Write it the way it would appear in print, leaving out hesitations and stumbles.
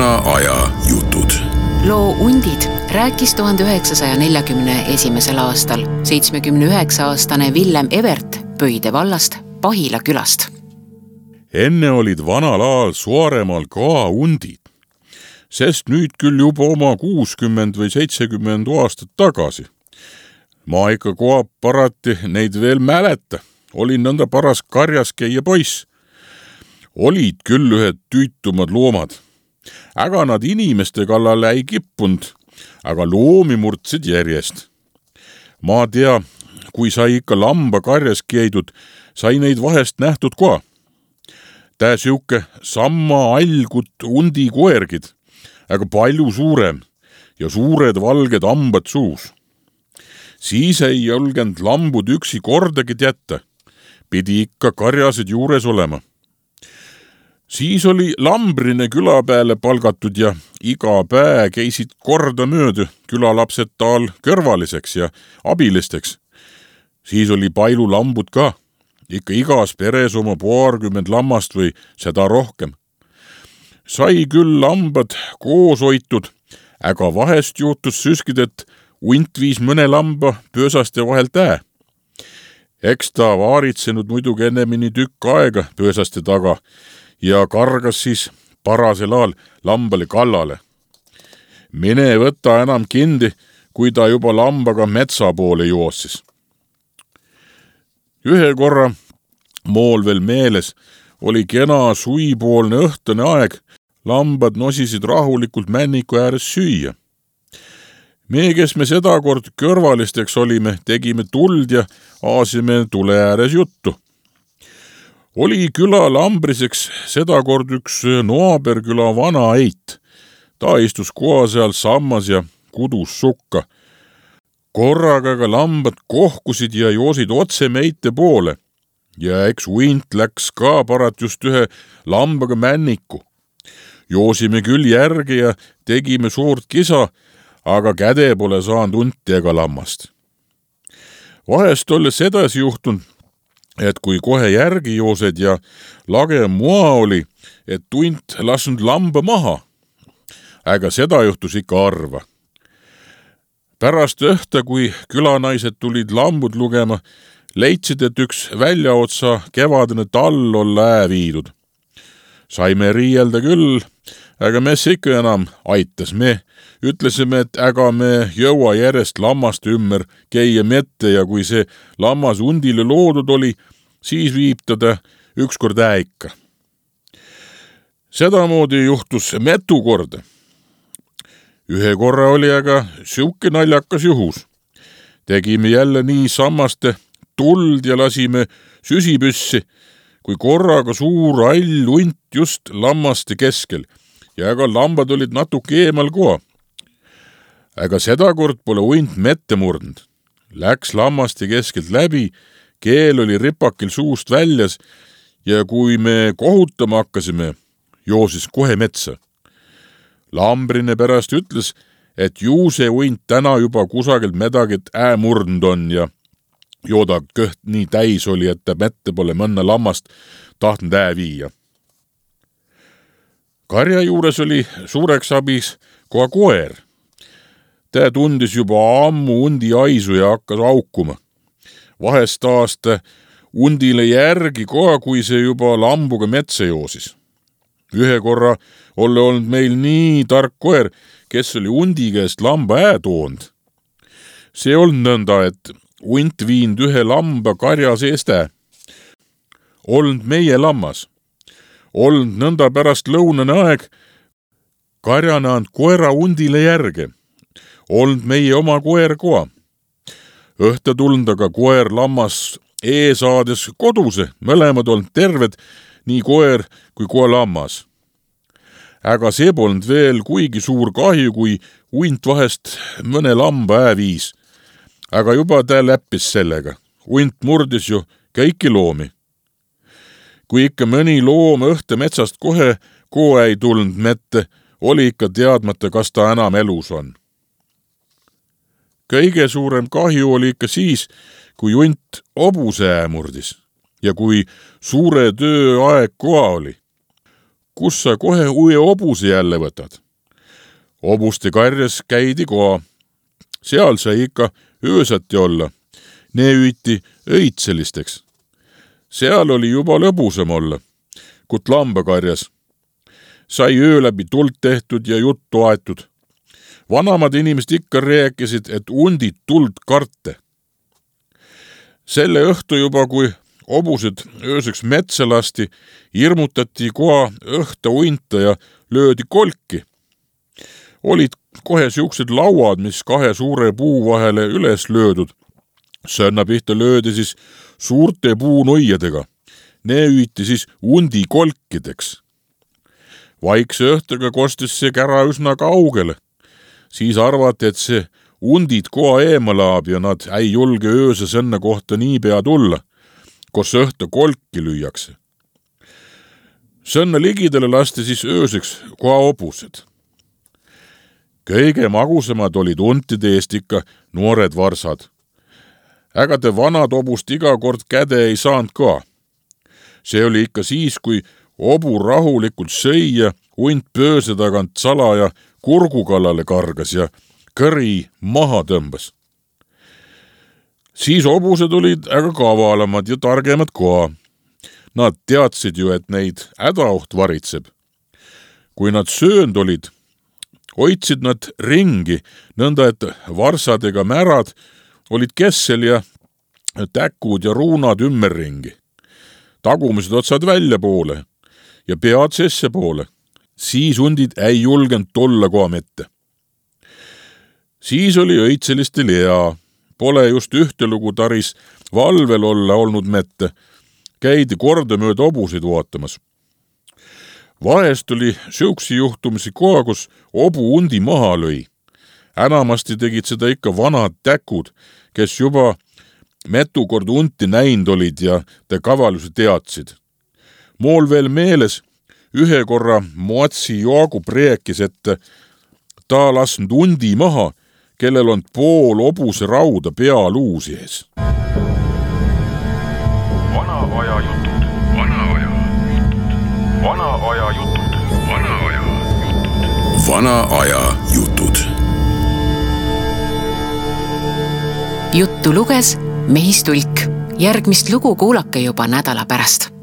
vana aja jutud. Loo Undid rääkis 1941. aastal 79-aastane Villem Evert Pöide vallast Pahila külast. Enne olid vanal ajal Suaremaal ka undid, sest nüüd küll juba oma 60 või 70 aastat tagasi. Ma ikka koha parati neid veel mäleta, olin nõnda paras karjas käia poiss. Olid küll ühed tüütumad loomad, aga nad inimeste kallale ei kippunud, aga loomi murdsid järjest. Ma tea, kui sai ikka lamba karjas käidud, sai neid vahest nähtud ka. Tää siuke samma algut undi koergid, aga palju suurem ja suured valged hambad suus. Siis ei julgenud lambud üksi kordagi jätta, pidi ikka karjased juures olema. Siis oli lambrine küla peale palgatud ja iga päev käisid korda mööda külalapsed taal kõrvaliseks ja abilisteks. Siis oli palju lambud ka, ikka igas peres oma 20 lammast või seda rohkem. Sai küll lambad koos hoitud, aga vahest juhtus süskid, et unt viis mõne lamba pöösaste vahelt Eks ta vaaritsenud muidugi ennemini tükk aega pöösaste taga ja kargas siis parasel ajal lambale kallale. Mine võta enam kindi, kui ta juba lambaga metsa poole joossis. Ühe korra, mool veel meeles, oli kena suipoolne õhtune aeg, lambad nosisid rahulikult männiku ääres süüa. Me, kes me sedakord kõrvalisteks olime, tegime tuld ja aasime tule ääres juttu. Oli küla lambriseks sedakord üks naaberküla vana eit. Ta istus koha seal sammas ja kudus sukka. Korraga ka lambad kohkusid ja joosid otse meite poole. Ja eks uint läks ka parat just ühe lambaga männiku. Joosime küll järgi ja tegime suurt kisa, aga käde pole saanud unti ega lammast. Vahest olles edasi juhtunud, et kui kohe järgi joosed ja lage mua oli, et unt lasnud lamba maha. Aga seda juhtus ikka harva. Pärast õhta, kui külanaised tulid lambud lugema, leidsid, et üks väljaotsa kevadine tall olla viidud. Saime riielda küll, aga mes ikka enam aitas. Me ütlesime, et äga me jõua järjest lammaste ümber käia mette ja kui see lammas undile loodud oli, siis viib teda ükskord ikka. Sedamoodi juhtus metu korda. Ühe korra oli aga siuke naljakas juhus. Tegime jälle nii sammaste tuld ja lasime süsipüssi, kui korraga suur all unt just lammaste keskel ja aga lambad olid natuke eemal koha. Aga sedakord pole unt mette murdnud. Läks lammaste keskelt läbi, keel oli ripakil suust väljas ja kui me kohutama hakkasime, joosis kohe metsa. Lambrine pärast ütles, et ju see unt täna juba kusagilt medagit murdnud on ja jooda kõht nii täis oli, et ta mette pole mõnna lammast tahtnud viia. Karja juures oli suureks abis koha koer. Ta tundis juba ammu undi aisu ja hakkas aukuma. Vahest aasta undile järgi koha, kui see juba lambuga metsa joosis. Ühe korra oli olnud meil nii tark koer, kes oli undi käest lamba toonud. See olnud nõnda, et unt viinud ühe lamba karja seest Olnud meie lammas. Olnud nõnda pärast lõunane aeg, karjana and koera undile järge. Olnud meie oma koer koha. Õhta tulnud aga koer lammas saades koduse, mõlemad olnud terved, nii koer kui koha lammas. Aga see polnud veel kuigi suur kahju, kui unt vahest mõne lamba viis. Aga juba ta läppis sellega. Unt murdis ju kõiki loomi. Kui ikka mõni loom õhte metsast kohe kohe ei tulnud mette, oli ikka teadmata, kas ta enam elus on. Kõige suurem kahju oli ikka siis, kui unt hobuse murdis ja kui suure töö aeg koha oli. kus sa kohe uue hobuse jälle võtad. Hobuste karjas käidi koha. Seal sai ikka öösati olla. Ne hüüti õitselisteks. Seal oli juba lõbusam olla, kut lambakarjas. Sai öö läbi tuld tehtud ja juttu aetud. Vanamad inimesed ikka rääkisid, et undid tuld karte. Selle õhtu juba, kui hobused ööseks metsa lasti, hirmutati koha õhta unta ja löödi kolki. Olid kohe siuksed lauad, mis kahe suure puu vahele üles löödud. Sõnna pihta löödi siis suurte puunuiadega. Ne hüüti siis undi kolkideks. Vaikse õhtuga kostis see kära üsna kaugele. Siis arvati, et see undid koha eemalaab ja nad ei julge ööse sõnna kohta niipea tulla, kus õhta kolki lüüakse. Sõnna ligidele lasti siis ööseks koha hobused. Kõige magusamad olid untide eest ikka noored varsad. Ägade vanad hobust iga kord käde ei saanud ka. See oli ikka siis, kui hobu rahulikult sõi ja unt pööse tagant salaja kurgu kallale kargas ja kõri maha tõmbas. Siis hobused olid aga kavalamad ja targemad ka. Nad teadsid ju, et neid hädaoht varitseb. Kui nad söönd olid, hoidsid nad ringi, nõnda et varsadega märad olid kessel ja täkud ja ruunad ümmerringi. Tagumised otsad välja poole ja pead sesse poole. Siis undid ei julgenud tolla koha mette. Siis oli õitselistel hea. Pole just ühte lugu taris valvel olla olnud mette. Käidi kordamööda hobuseid vaatamas. Vahest oli siuksi juhtumisi koha, kus hobu undi maha lõi. Enamasti tegid seda ikka vanad täkud, kes juba metu kord unti näinud olid ja te kavalusi teadsid. Mool veel meeles, ühe korra Moatsi Joagu preekis, et ta lasknud undi maha, kellel on pool hobuse rauda pealuusi ees. Vana aja jutud, vana aja jutud, vana aja jutud, vana aja jutud, vana aja jutud. Juttu luges Mehis Tulk. Järgmist lugu kuulake juba nädala pärast.